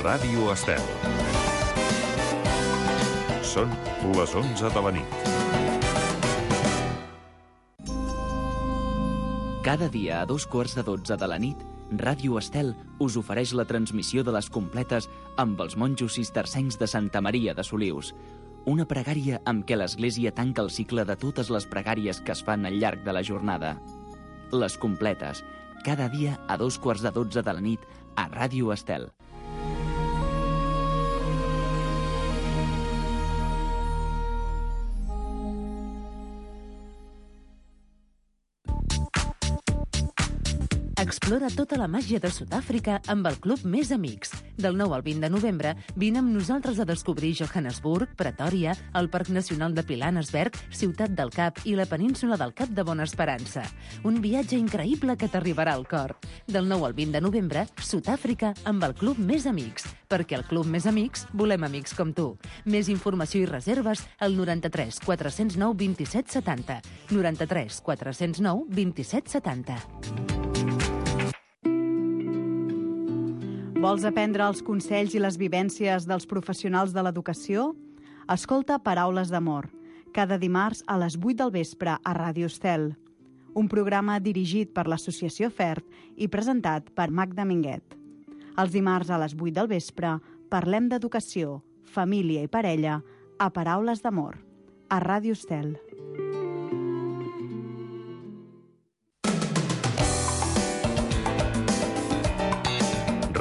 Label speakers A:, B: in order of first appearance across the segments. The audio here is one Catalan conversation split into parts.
A: Ràdio Estel. Són les 11 de la nit.
B: Cada dia a 2:45 de la nit, Ràdio Estel us ofereix la transmissió de les completes amb els monjos cistercencs de Santa Maria de Solius. Una pregària amb què l'Església tanca el cicle de totes les pregàries que es fan al llarg de la jornada. Les completes, cada dia a 2:45 de la nit a Ràdio Estel.
C: Explora tota la màgia de Sud-àfrica amb el Club Més Amics. Del 9 al 20 de novembre, vine amb nosaltres a descobrir Johannesburg, Pretòria, el Parc Nacional de Pilanesberg, Ciutat del Cap i la península del Cap de Bona Esperança. Un viatge increïble que t'arribarà al cor. Del 9 al 20 de novembre, Sud-àfrica amb el Club Més Amics. Perquè al Club Més Amics volem amics com tu. Més informació i reserves al 93 409 27 70. 93 409 27 70.
D: Vols aprendre els consells i les vivències dels professionals de l'educació? Escolta Paraules d'Amor, cada dimarts a les 8 del vespre a Ràdio Estel. Un programa dirigit per l'Associació FERT i presentat per Magda Minguet. Els dimarts a les 8 del vespre parlem d'educació, família i parella a Paraules d'Amor, a Ràdio Estel.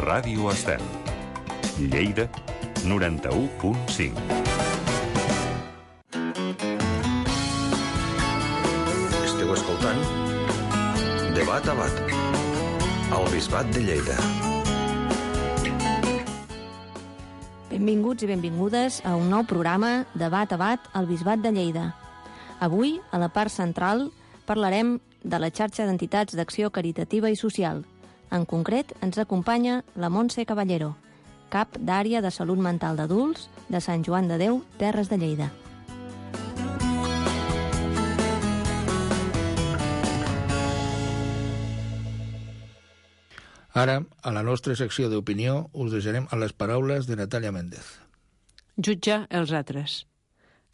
A: Ràdio Estel. Lleida, 91.5.
E: Esteu escoltant Debat a Bat, al Bisbat de Lleida.
F: Benvinguts i benvingudes a un nou programa Debat a Bat, al Bisbat de Lleida. Avui, a la part central, parlarem de la xarxa d'entitats d'acció caritativa i social. En concret, ens acompanya la Montse Caballero, cap d'àrea de salut mental d'adults de Sant Joan de Déu, Terres de Lleida.
G: Ara, a la nostra secció d'opinió, us deixarem a les paraules de Natàlia Méndez.
H: Jutjar els altres.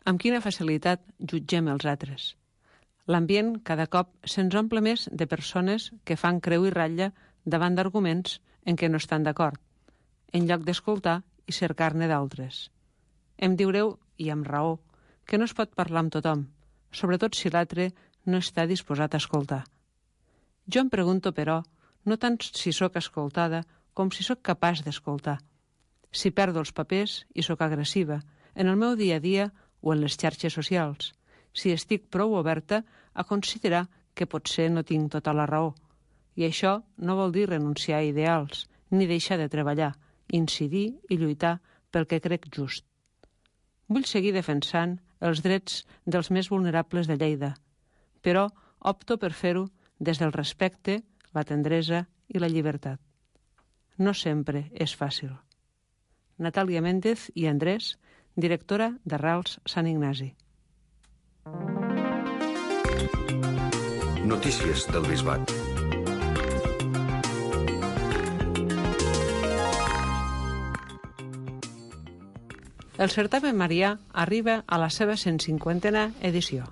H: Amb quina facilitat jutgem els altres? L'ambient cada cop se'ns omple més de persones que fan creu i ratlla davant d'arguments en què no estan d'acord, en lloc d'escoltar i cercar-ne d'altres. Em diureu, i amb raó, que no es pot parlar amb tothom, sobretot si l'altre no està disposat a escoltar. Jo em pregunto, però, no tant si sóc escoltada com si sóc capaç d'escoltar. Si perdo els papers i sóc agressiva, en el meu dia a dia o en les xarxes socials, si estic prou oberta a considerar que potser no tinc tota la raó. I això no vol dir renunciar a ideals, ni deixar de treballar, incidir i lluitar pel que crec just. Vull seguir defensant els drets dels més vulnerables de Lleida, però opto per fer-ho des del respecte, la tendresa i la llibertat. No sempre és fàcil. Natàlia Méndez i Andrés, directora d'Arrels Sant Ignasi.
E: Notícies del Bisbat.
H: El certamen marià arriba a la seva 150a edició.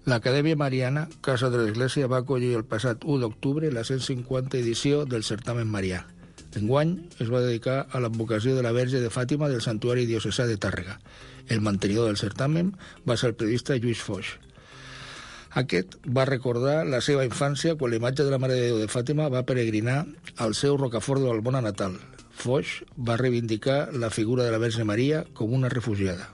G: L'Acadèmia Mariana, Casa de l'Església, va acollir el passat 1 d'octubre la 150 edició del certamen marià. Enguany es va dedicar a l'advocació de la Verge de Fàtima del Santuari Diocesà de Tàrrega. El mantenidor del certamen va ser el periodista Lluís Foix. Aquest va recordar la seva infància quan la imatge de la Mare de Déu de Fàtima va peregrinar al seu Rocafort de l'Albona natal. Foix va reivindicar la figura de la Verge Maria com una refugiada.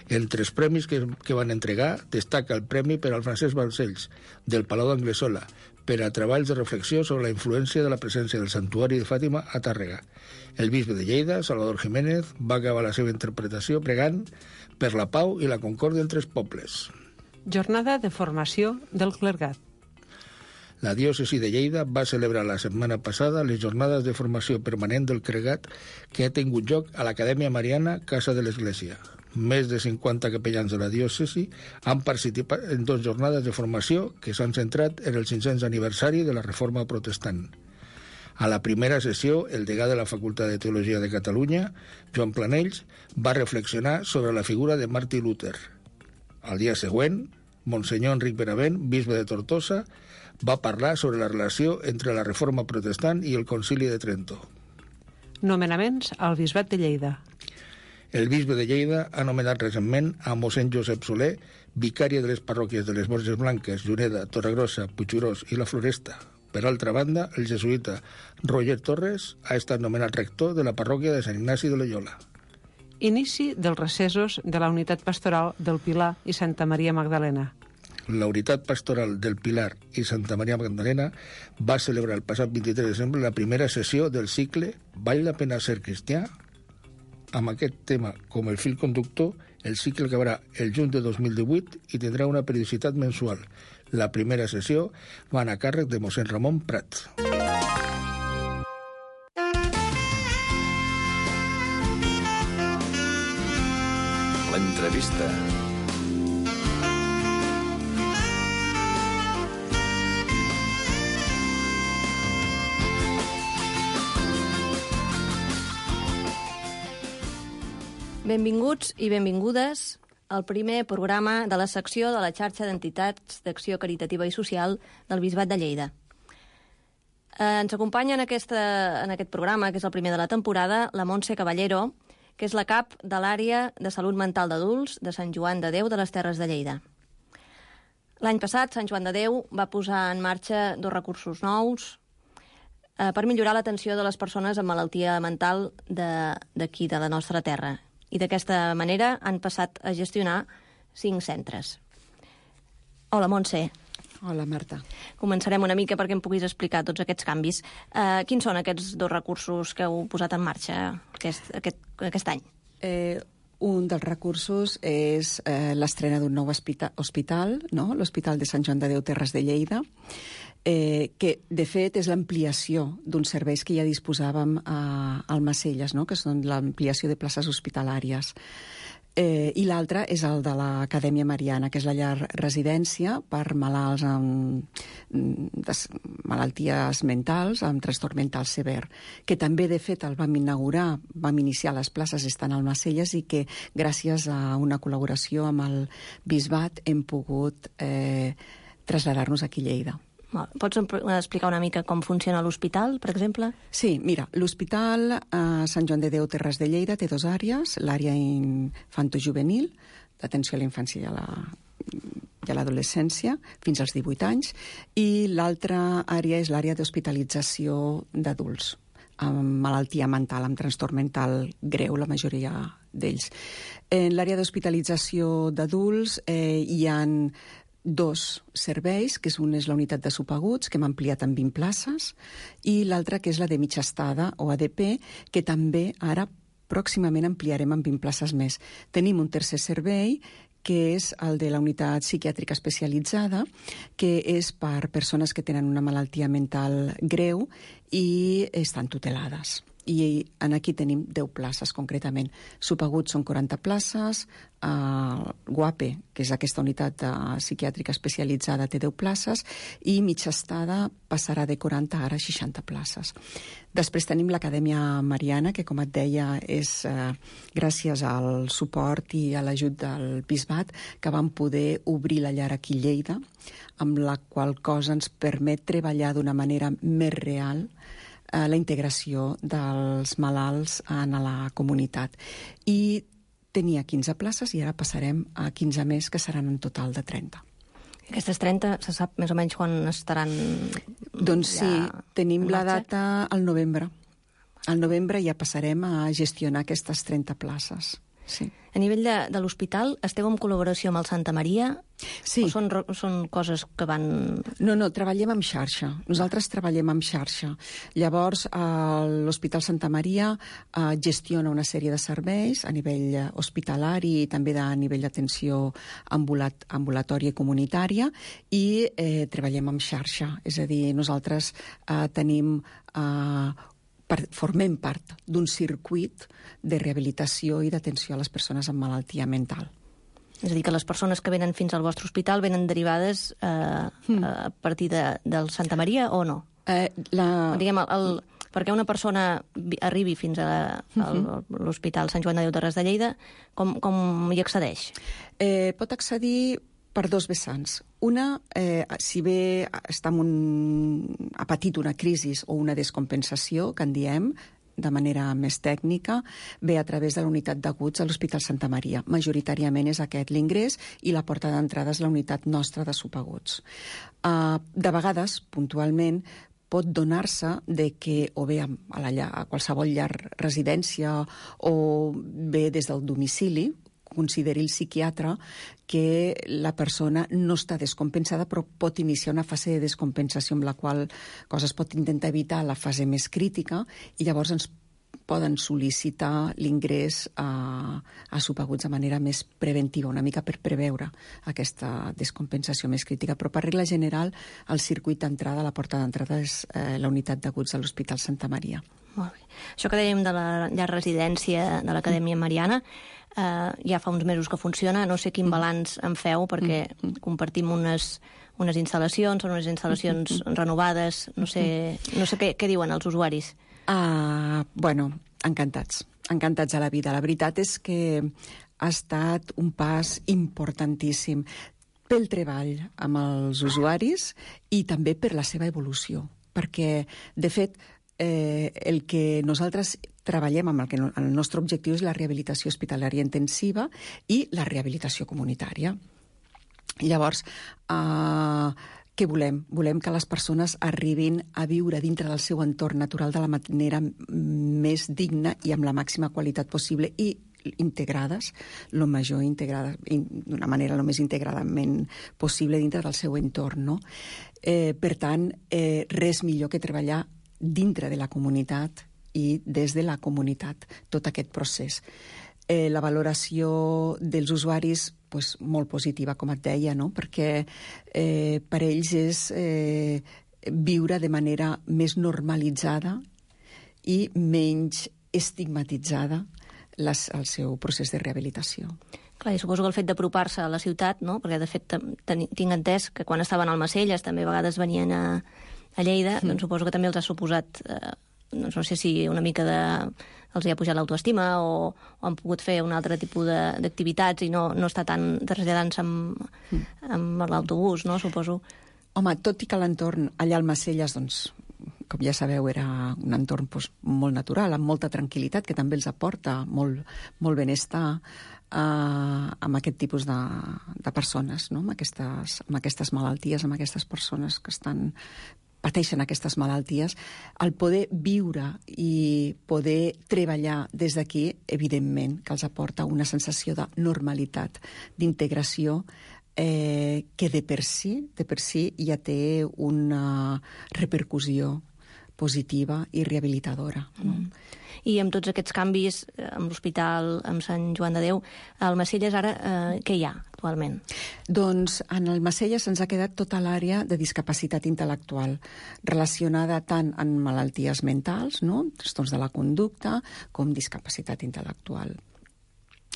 G: Entre els premis que van entregar destaca el premi per al Francesc Balcells, del Palau d'Anglesola, per a treballs de reflexió sobre la influència de la presència del Santuari de Fàtima a Tàrrega. El bisbe de Lleida, Salvador Jiménez, va acabar la seva interpretació pregant per la pau i la concòrdia entre els pobles.
H: Jornada de formació del clergat.
G: La diòcesi de Lleida va celebrar la setmana passada les jornades de formació permanent del clergat que ha tingut lloc a l'Acadèmia Mariana Casa de l'Església. Més de 50 capellans de la diòcesi han participat en 2 jornades de formació que s'han centrat en el 500 aniversari de la Reforma Protestant. A la primera sessió, el degà de la Facultat de Teologia de Catalunya, Joan Planells, va reflexionar sobre la figura de Martí Luther. Al dia següent, Monsenyor Enric Benavent, bisbe de Tortosa, va parlar sobre la relació entre la Reforma Protestant i el Concili de Trento.
H: Nomenaments al Bisbat de Lleida.
G: El bisbe de Lleida ha nomenat recentment a mossèn Josep Soler, vicari de les parròquies de les Borges Blanques, Juneda, Torregrossa, Puiggròs i la Floresta. Per altra banda, el jesuïta Roger Torres ha estat nomenat rector de la parròquia de Sant Ignasi de Loyola.
H: Inici dels recessos de la unitat pastoral del Pilar i Santa Maria Magdalena.
G: La unitat pastoral del Pilar i Santa Maria Magdalena va celebrar el passat 23 de desembre la primera sessió del cicle Val la pena ser cristià? Amb aquest tema com el fil conductor, el cicle acabarà el juny de 2018 i tindrà una periodicitat mensual. La primera sessió va anar a càrrec de mossèn Ramon Prat.
E: L'entrevista.
F: Benvinguts i benvingudes al primer programa de la secció de la xarxa d'entitats d'acció caritativa i social del Bisbat de Lleida. Ens acompanya en aquest programa, que és el primer de la temporada, la Montse Caballero, que és la cap de l'àrea de salut mental d'adults de Sant Joan de Déu de les Terres de Lleida. L'any passat, Sant Joan de Déu va posar en marxa 2 recursos nous per millorar l'atenció de les persones amb malaltia mental d'aquí, de la nostra terra. I d'aquesta manera han passat a gestionar 5 centres. Hola, Montse.
I: Hola, Marta.
F: Començarem una mica perquè em puguis explicar tots aquests canvis. Quins són aquests 2 recursos que heu posat en marxa aquest any?
I: Un dels recursos és l'estrena d'un nou hospital, no? L'Hospital de Sant Joan de Déu Terres de Lleida, que, de fet, és l'ampliació d'uns serveis que ja disposàvem a Almacelles, no? Que són l'ampliació de places hospitalàries. I l'altre és el de l'Acadèmia Mariana, que és la llar residència per malalts amb malalties mentals, amb trastorn mental sever, que també, de fet, el vam inaugurar, vam iniciar les places estant a Almacelles i que, gràcies a una col·laboració amb el Bisbat, hem pogut traslladar-nos aquí a Lleida.
F: Pots explicar una mica com funciona l'hospital, per exemple?
I: Sí, mira, l'Hospital Sant Joan de Déu Terres de Lleida té 2 àrees, l'àrea infantojuvenil, d'atenció a la infància i a l'adolescència, fins als 18 anys, i l'altra àrea és l'àrea d'hospitalització d'adults, amb malaltia mental, amb trastorn mental greu, la majoria d'ells. En l'àrea d'hospitalització d'adults hi ha 2 serveis, que un és la unitat de subaguts, que hem ampliat en 20 places, i l'altra, que és la de mitja estada, o ADP, que també ara pròximament ampliarem en 20 places més. Tenim un tercer servei, que és el de la unitat psiquiàtrica especialitzada, que és per persones que tenen una malaltia mental greu i estan tutelades. I aquí tenim 10 places, concretament. Subaguts són 40 places, GUAPE, que és aquesta unitat psiquiàtrica especialitzada, té 10 places, i mitja estada passarà de 40 ara a 60 places. Després tenim l'Acadèmia Mariana, que, com et deia, és gràcies al suport i a l'ajut del Bisbat que vam poder obrir la llar aquí a Lleida, amb la qual cosa ens permet treballar d'una manera més real la integració dels malalts en la comunitat. I tenia 15 places i ara passarem a 15 més, que seran en total de 30.
F: Aquestes 30, se sap més o menys quan estaran?
I: Doncs sí, tenim la data al novembre. Al novembre ja passarem a gestionar aquestes 30 places. Sí.
F: A nivell de l'hospital, esteu en col·laboració amb el Santa Maria?
I: Sí.
F: O són coses que van...
I: No, treballem amb xarxa. Nosaltres treballem amb xarxa. Llavors, l'Hospital Santa Maria gestiona una sèrie de serveis a nivell hospitalari i també a nivell d'atenció ambulatòria i comunitària, i treballem amb xarxa. És a dir, nosaltres tenim... formem part d'un circuit de rehabilitació i d'atenció a les persones amb malaltia mental.
F: És a dir, que les persones que venen fins al vostre hospital venen derivades a partir del Santa Maria o no? Diguem, perquè una persona arribi fins a l'Hospital Sant Joan de Déu de Res de Lleida, com hi accedeix?
I: Pot accedir per dos vessants. Una, si bé ha patit una crisi o una descompensació, que en diem, de manera més tècnica, ve a través de la unitat d'aguts a l'Hospital Santa Maria. Majoritàriament és aquest l'ingrés i la porta d'entrada és la unitat nostra de subaguts. De vegades, puntualment, pot donar-se de que, o bé a qualsevol llar residència o bé des del domicili, consideri el psiquiatre que la persona no està descompensada, però pot iniciar una fase de descompensació amb la qual cosa es pot intentar evitar la fase més crítica i llavors ens poden sol·licitar l'ingrés a subaguts de manera més preventiva, una mica per preveure aquesta descompensació més crítica. Però per regla general, el circuit d'entrada, la porta d'entrada és la unitat d'aguts de l'Hospital Santa Maria.
F: Molt bé. Això que dèiem de la llar residència de l'Acadèmia Mariana, ja fa uns mesos que funciona, no sé quin balanç en feu, perquè compartim unes instal·lacions, són unes instal·lacions renovades, no sé què diuen els usuaris.
I: Bueno, encantats a la vida. La veritat és que ha estat un pas importantíssim pel treball amb els usuaris i també per la seva evolució, perquè, de fet, el que nosaltres treballem amb el nostre objectiu és la rehabilitació hospitalària intensiva i la rehabilitació comunitària. Llavors, què volem? Volem que les persones arribin a viure dintre del seu entorn natural de la manera més digna i amb la màxima qualitat possible i integrades, d'una manera el més integradament possible dintre del seu entorn, no? Per tant, res millor que treballar dintre de la comunitat i des de la comunitat, tot aquest procés. La valoració dels usuaris, molt positiva, com et deia, no? Perquè per ells és viure de manera més normalitzada i menys estigmatitzada el seu procés de rehabilitació.
F: Clar, i suposo que el fet d'apropar-se a la ciutat, no? Perquè de fet tinc entès que quan estaven al Macelles també a vegades venien a Lleida, doncs suposo que també els ha suposat, no sé si una mica els hi ha pujat l'autoestima o han pogut fer un altre tipus d'activitats i no està tan traslladant-se amb l'autobús, no? Suposo.
I: Home, tot i que l'entorn allà al Macelles, doncs, com ja sabeu, era un entorn molt natural, amb molta tranquil·litat, que també els aporta molt benestar amb aquest tipus de persones, no? amb aquestes malalties, amb aquestes persones que pateixen aquestes malalties, el poder viure i poder treballar des d'aquí, evidentment, que els aporta una sensació de normalitat, d'integració, que de per si ja té una repercussió positiva i rehabilitadora. No?
F: I amb tots aquests canvis, amb l'hospital, amb Sant Joan de Déu, al Macelles ara què hi ha actualment? Doncs
I: en el Macelles ens ha quedat tota l'àrea de discapacitat intel·lectual, relacionada tant amb malalties mentals, no? Trastorns de la conducta, com discapacitat intel·lectual.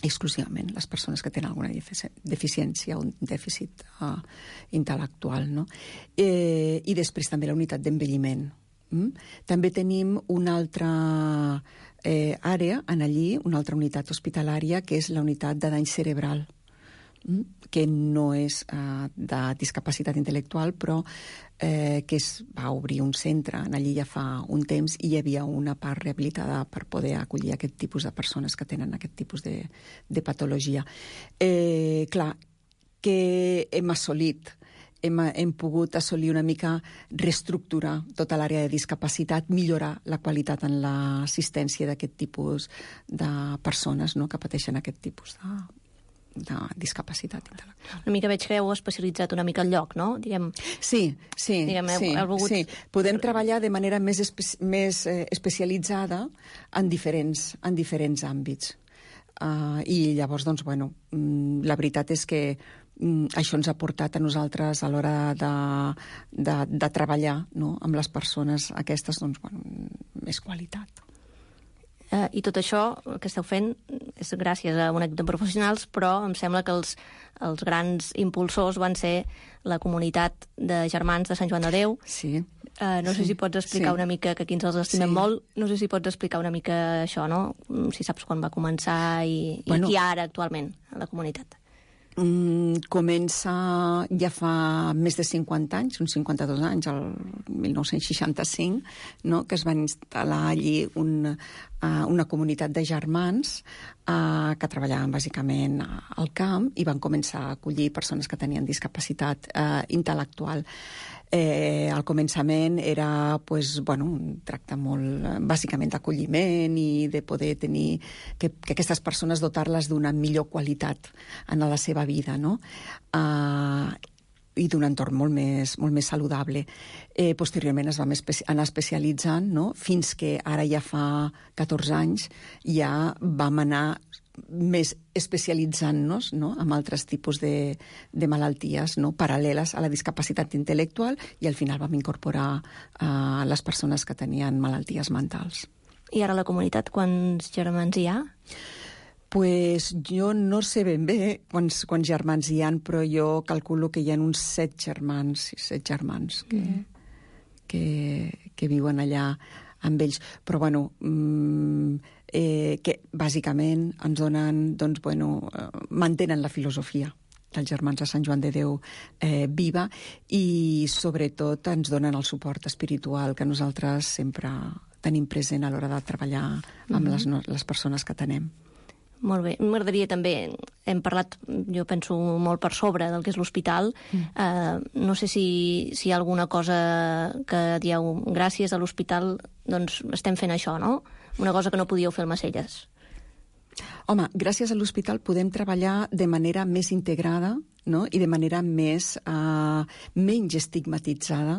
I: Exclusivament les persones que tenen alguna deficiència o un dèficit intel·lectual. No? I després també la unitat d'envelliment. També tenim una altra àrea allí, una altra unitat hospitalària, que és la unitat de dany cerebral, que no és de discapacitat intel·lectual, però que es va obrir un centre allí ja fa un temps i hi havia una part rehabilitada per poder acollir aquest tipus de persones que tenen aquest tipus de patologia. Clar, que hem assolit hem pogut assolir una mica reestructurar tota l'àrea de discapacitat, millorar la qualitat en l'assistència d'aquest tipus de persones, no?, que pateixen aquest tipus de discapacitat intel·lectual.
F: Una mica veig que heu especialitzat una mica el lloc, no?
I: Sí. Podem treballar de manera més especialitzada en diferents àmbits. I llavors, doncs, la veritat és que això ens ha portat a nosaltres a l'hora de treballar, no?, amb les persones aquestes, doncs, més qualitat.
F: I tot això que esteu fent és gràcies a un equip de professionals, però em sembla que els grans impulsors van ser la comunitat de germans de Sant Joan de Déu.
I: Sí,
F: No sé si pots explicar una mica, que aquí ens els estimem molt, no sé si pots explicar una mica això, no? Si saps quan va començar i qui hi ha ara actualment a la comunitat.
I: Comença ja fa més de 50 anys, uns 52 anys, el 1965, no? Que es van instal·lar allí una comunitat de germans que treballaven bàsicament al camp i van començar a acollir persones que tenien discapacitat intel·lectual. Al començament era un tracte molt bàsicament d'acolliment i de poder tenir que aquestes persones dotar-les d'una millor qualitat en la seva vida, no? I d'un entorn molt més saludable. Posteriorment es va anar especialitzant, no? Fins que ara ja fa 14 anys ja vam anar més especialitzant-nos, no? En altres tipus de malalties, no? Paral·leles a la discapacitat intel·lectual, i al final vam incorporar les persones que tenien malalties mentals.
F: I ara a la comunitat quants germans hi ha?
I: Pues jo no sé ben bé quants germans hi ha, però jo calculo que hi ha uns 7 germans que viuen allà amb ells. Però, que bàsicament ens donen, mantenen la filosofia dels germans de Sant Joan de Déu viva, i sobretot ens donen el suport espiritual que nosaltres sempre tenim present a l'hora de treballar amb les persones que tenem.
F: Molt bé. M'agradaria també, hem parlat, jo penso, molt per sobre del que és l'hospital. No sé si hi ha alguna cosa que dieu, gràcies a l'hospital, doncs estem fent això, no? Una cosa que no podíeu fer al Macelles.
I: Home, gràcies a l'hospital podem treballar de manera més integrada, no? I de manera menys estigmatitzada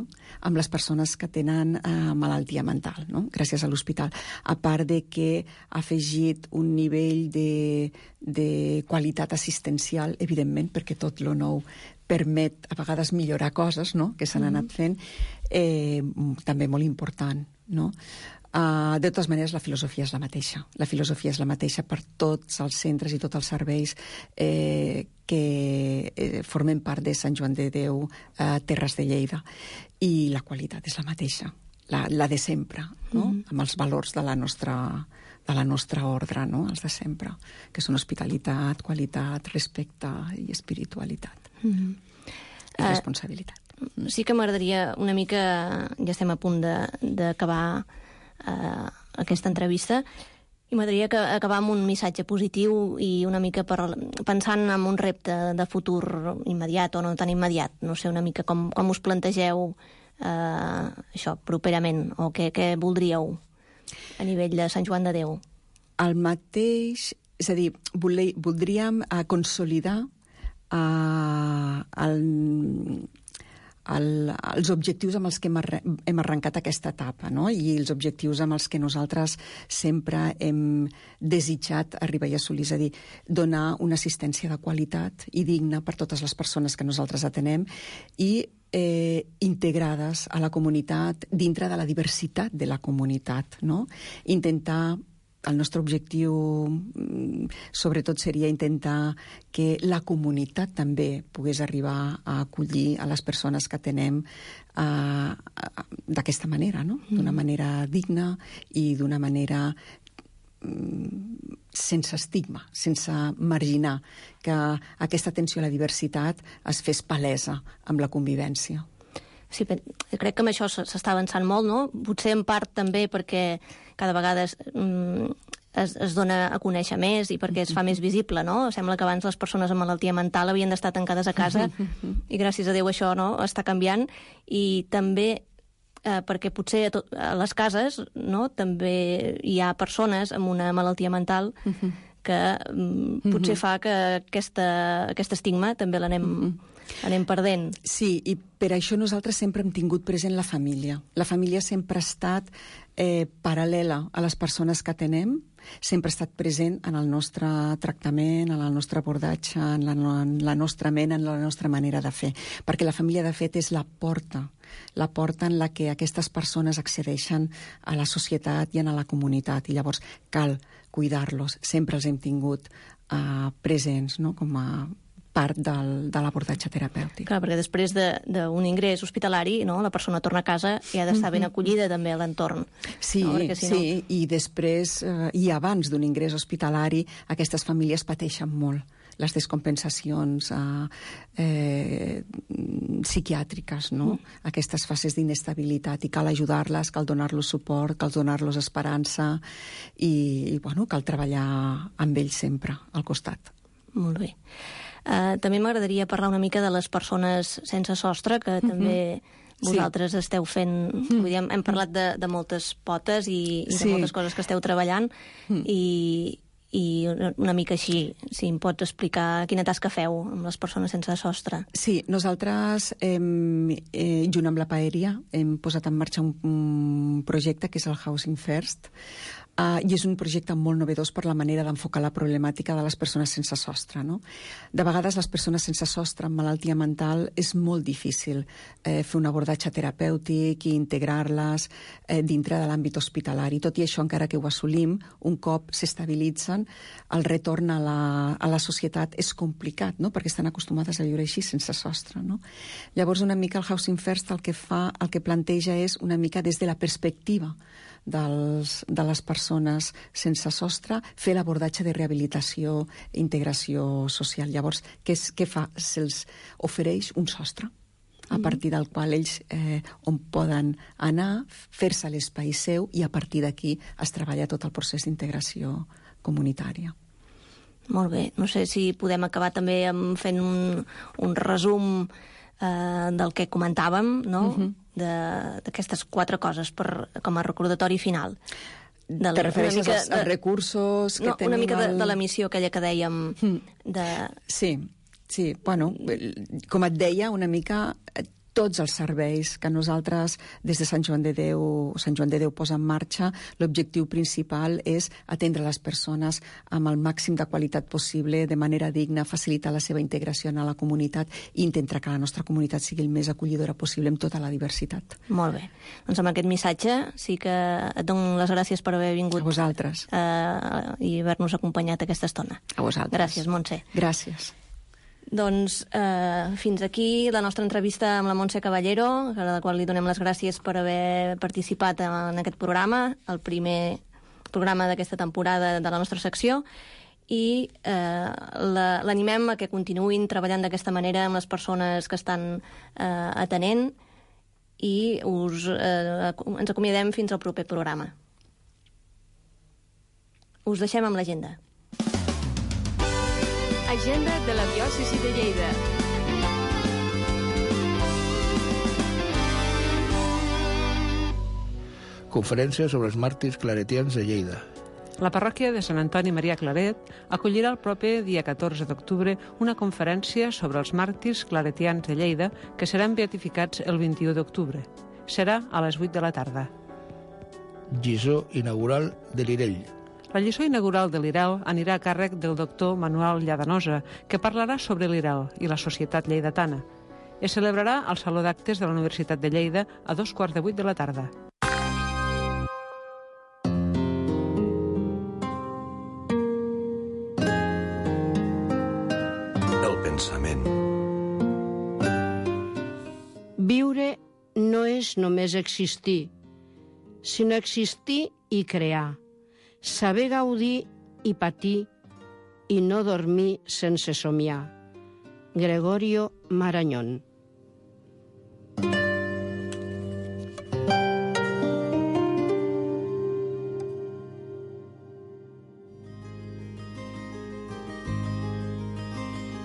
I: amb les persones que tenen malaltia mental, no? Gràcies a l'hospital. A part de que ha afegit un nivell de qualitat assistencial, evidentment, perquè tot lo nou permet a vegades millorar coses, no? Que s'han anat fent, també molt important, no? De totes maneres, la filosofia és la mateixa. La filosofia és la mateixa per tots els centres i tots els serveis que formen part de Sant Joan de Déu, Terres de Lleida. I la qualitat és la mateixa, la de sempre, no? Amb els valors de la nostra ordre, no? Els de sempre, que són hospitalitat, qualitat, respecte i espiritualitat. I responsabilitat.
F: Sí que m'agradaria una mica, ja estem a punt d'acabar aquesta entrevista, i m'agradaria acabar amb un missatge positiu i una mica pensant en un repte de futur immediat o no tan immediat. No sé una mica com us plantegeu això properament, o què voldríeu a nivell de Sant Joan de Déu?
I: El mateix, és a dir, voldríem consolidar els objectius amb els que hem arrencat aquesta etapa, no? I els objectius amb els que nosaltres sempre hem desitjat arribar i assolir, és a dir, donar una assistència de qualitat i digna per totes les persones que nosaltres atenem i integrades a la comunitat, dintre de la diversitat de la comunitat, no? El nostre objectiu, sobretot, seria intentar que la comunitat també pogués arribar a acollir a les persones que atenem d'aquesta manera, no? D'una manera digna i d'una manera sense estigma, sense marginar, que aquesta atenció a la diversitat es fes palesa amb la convivència.
F: Sí, crec que amb això s'està avançant molt, no? Potser en part també perquè cada vegada es dona a conèixer més i perquè es fa més visible, no? Sembla que abans les persones amb malaltia mental havien d'estar tancades a casa i gràcies a Déu això, no?, està canviant. I també perquè potser a les cases, no?, també hi ha persones amb una malaltia mental que potser fa que aquest estigma també l'anem perdent.
I: Sí, i per això nosaltres sempre hem tingut present la família. La família sempre ha estat paral·lela a les persones que atenem, sempre ha estat present en el nostre tractament, en el nostre abordatge, en la nostra ment, en la nostra manera de fer. Perquè la família, de fet, és la porta en la que aquestes persones accedeixen a la societat i a la comunitat. I llavors cal cuidar-los. Sempre els hem tingut presents, no?, com a part de l'abordatge terapèutic.
F: Clar, perquè després d'un ingrés hospitalari, no, la persona torna a casa i ha d'estar ben acollida també a l'entorn.
I: Sí, no? Sí, i després, i abans d'un ingrés hospitalari, aquestes famílies pateixen molt les descompensacions psiquiàtriques, no? Aquestes fases d'inestabilitat, i cal ajudar-les, cal donar-los suport, cal donar-los esperança i bueno, cal treballar amb ells sempre al costat.
F: Molt bé. També m'agradaria parlar una mica de les persones sense sostre, que també vosaltres esteu fent... Vull dir, hem parlat de moltes potes i de moltes coses que esteu treballant i una mica així, si em pots explicar quina tasca feu amb les persones sense sostre.
I: Sí, nosaltres, junt amb la Paeria, hem posat en marxa un projecte que és el Housing First, i és un projecte molt novedós per la manera d'enfocar la problemàtica de les persones sense sostre, no? De vegades les persones sense sostre amb malaltia mental és molt difícil fer un abordatge terapèutic i integrar-les dintre de l'àmbit hospitalari. Tot i això, encara que ho assolim, un cop s'estabilitzen, el retorn a la societat és complicat, no? Perquè estan acostumades a viure així, sense sostre, no? Llavors, una mica el Housing First el que planteja és una mica des de la perspectiva de les persones sense sostre, fer l'abordatge de rehabilitació i integració social. Llavors, què fa? Se'ls ofereix un sostre a partir del qual ells on poden anar, fer-se l'espai seu, i a partir d'aquí es treballa tot el procés d'integració comunitària.
F: Molt bé. No sé si podem acabar també fent un resum del que comentàvem, no? D'aquestes 4 coses com a recordatori final.
I: Te refereixes als recursos que tenim...
F: Una mica de la missió aquella que dèiem
I: Sí, bueno, com et deia, una mica tots els serveis que nosaltres des de Sant Joan de Déu posa en marxa, l'objectiu principal és atendre les persones amb el màxim de qualitat possible, de manera digna, facilitar la seva integració a la comunitat i intentar que la nostra comunitat sigui el més acollidora possible amb tota la diversitat.
F: Molt bé. Doncs amb aquest missatge sí que et dono les gràcies per haver vingut.
I: A vosaltres.
F: I haver-nos acompanyat aquesta estona.
I: A vosaltres.
F: Gràcies, Montse.
I: Gràcies.
F: Doncs fins aquí la nostra entrevista amb la Montse Caballero, a la qual li donem les gràcies per haver participat en aquest programa, el primer programa d'aquesta temporada de la nostra secció, i l'animem a que continuïn treballant d'aquesta manera amb les persones que estan atenent, i ens acomiadem fins al proper programa. Us deixem amb l'agenda.
J: Agenda de la diòcesi de Lleida.
G: Conferència sobre els màrtirs claretians de Lleida.
H: La parròquia de Sant Antoni Maria Claret acollirà el proper dia 14 d'octubre una conferència sobre els màrtirs claretians de Lleida que seran beatificats el 21 d'octubre. Serà a les 8 de la tarda.
G: Lliçó inaugural de l'Irell.
H: La lliçó inaugural de l'Irel anirà a càrrec del doctor Manuel Lladanosa, que parlarà sobre l'Irel i la societat lleidatana. Es celebrarà al Saló d'Actes de la Universitat de Lleida a 7:15 de la tarda.
E: El pensament.
J: Viure no és només existir, sinó existir i crear. Saber gaudir i patir i no dormir sense somiar. Gregorio Marañón.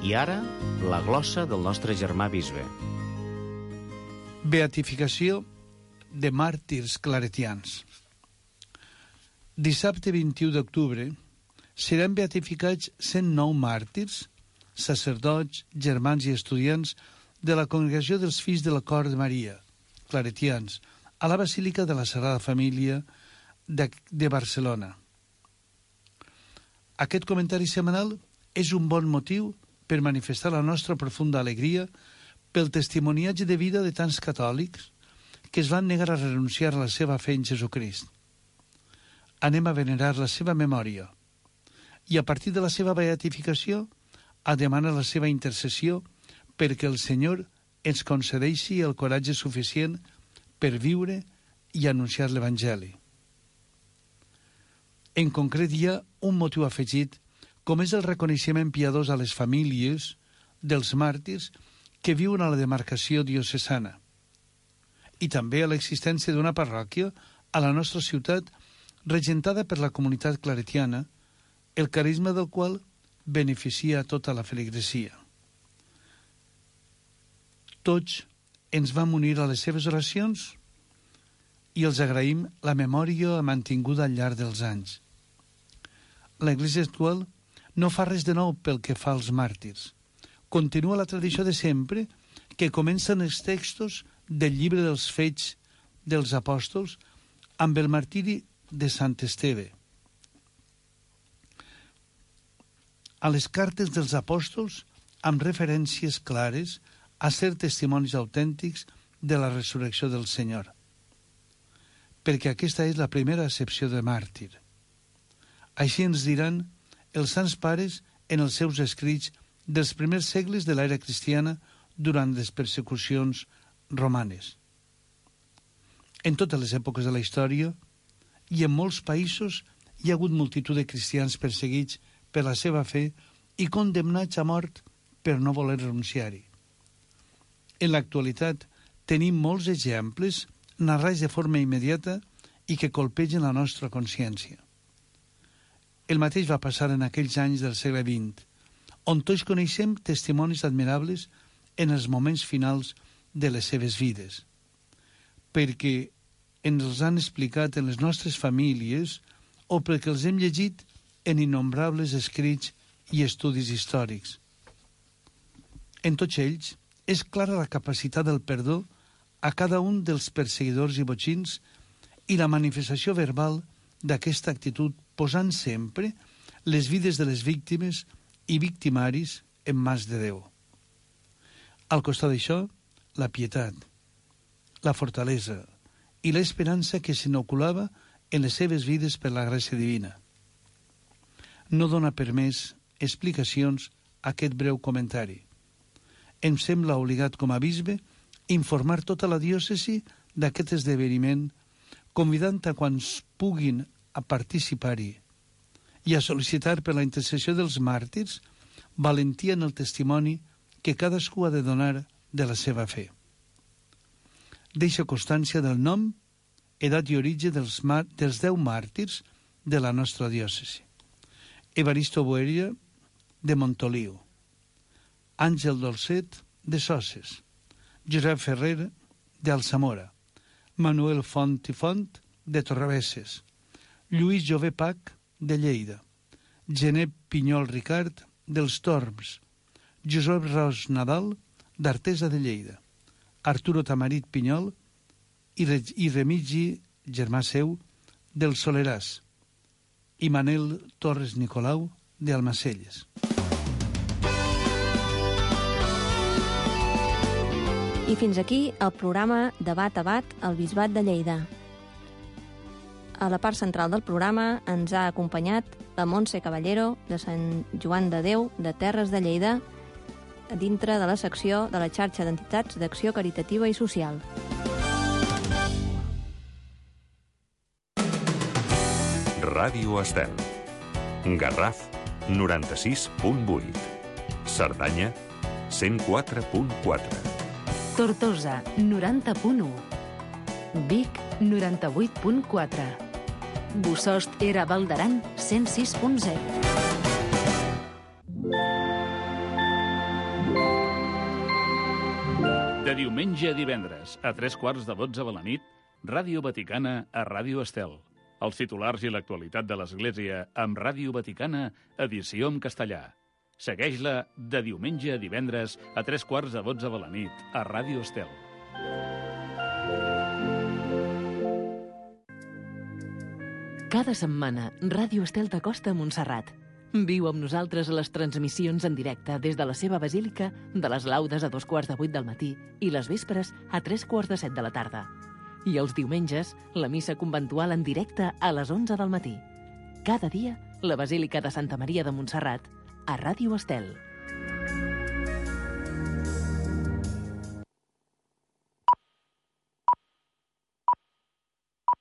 K: I ara, la glossa del nostre germà bisbe.
L: Beatificació de màrtirs claretians. Dissabte 21 d'octubre seran beatificats 109 màrtirs, sacerdots, germans i estudiants de la Congregació dels Fills de la Cor de Maria, claretians, a la Basílica de la Sagrada Família de Barcelona. Aquest comentari setmanal és un bon motiu per manifestar la nostra profunda alegria pel testimoniatge de vida de tants catòlics que es van negar a renunciar a la seva fe en Jesucrist. Anem a venerar la seva memòria i a partir de la seva beatificació a demanar la seva intercessió perquè el Senyor ens concedeixi el coratge suficient per viure i anunciar l'Evangeli. En concret, hi ha un motiu afegit, com és el reconeixement piadós a les famílies dels màrtirs que viuen a la demarcació diocesana, i també a l'existència d'una parròquia a la nostra ciutat regentada per la comunitat claretiana, el carisma del qual beneficia tota la feligresia. Tots ens vam unir a les seves oracions i els agraïm la memòria mantinguda al llarg dels anys. L'Església actual no fa res de nou pel que fa als màrtirs. Continua la tradició de sempre, que comencen els textos del llibre dels Fets dels Apòstols amb el martiri de Sant Esteve. A les cartes dels apòstols amb referències clares a ser testimonis autèntics de la resurrecció del Senyor, perquè aquesta és la primera accepció de màrtir. Així ens diran els sants pares en els seus escrits dels primers segles de l'era cristiana durant les persecucions romanes. En totes les èpoques de la història i en molts països hi ha hagut multitud de cristians perseguits per la seva fe i condemnats a mort per no voler renunciar-hi. En l'actualitat tenim molts exemples narrats de forma immediata i que colpegen la nostra consciència. El mateix va passar en aquells anys del segle XX, on tots coneixem testimonis admirables en els moments finals de les seves vides, perquè ens els han explicat en les nostres famílies o perquè els hem llegit en innombrables escrits i estudis històrics. En tots ells és clara la capacitat del perdó a cada un dels perseguidors i botxins i la manifestació verbal d'aquesta actitud posant sempre les vides de les víctimes i victimaris en mans de Déu. Al costat d'això, la pietat, la fortalesa i l'esperança que s'inoculava en les seves vides per la gràcia divina. No dona per més explicacions a aquest breu comentari. Em sembla obligat com a bisbe informar tota la diòcesi d'aquest esdeveniment, convidant a quants puguin a participar-hi i a sol·licitar per la intercessió dels màrtirs valentia en el testimoni que cadascú ha de donar de la seva fe. Deixa constància del nom, edat i origen dels 10 màrtirs de la nostra diòcesi. Evaristo Boeria, de Montoliu; Àngel Dolcet, de Soses; Josep Ferrer, d'Alsamora; Manuel Font i Font, de Torrebesses; Lluís Jové Pach, de Lleida; Gené Pinyol Ricard, dels Torms; Josep Ros Nadal, d'Artesa de Lleida; Arturo Tamarit Pinyol i Remigi, germà seu, del Soleràs; i Manel Torres Nicolau, d'Almacelles.
F: I fins aquí el programa Debat a Bat al Bisbat de Lleida. A la part central del programa ens ha acompanyat la Montse Caballero, de Sant Joan de Déu, de Terres de Lleida, dintre de la secció de la xarxa d'entitats d'acció caritativa i social.
A: Ràdio Estel. Garraf, 96.8. Cerdanya, 104.4.
C: Tortosa, 90.1. Vic, 98.4. Bossòst era Val d'Aran, 106.0.
M: De diumenge a divendres, a 3:15 de la nit, Ràdio Vaticana a Ràdio Estel. Els titulars i l'actualitat de l'Església amb Ràdio Vaticana, edició en castellà. Segueix-la de diumenge a divendres a 3:15 de la nit a Ràdio Estel.
C: Cada setmana, Ràdio Estel t'acosta a Montserrat. Viu amb nosaltres a les transmissions en directe des de la seva basílica de les laudes a 7:15 del matí i les vespres a 7:45 de la tarda. I els diumenges, la missa conventual en directe a les 11 del matí. Cada dia, la Basílica de Santa Maria de Montserrat, a Ràdio Estel.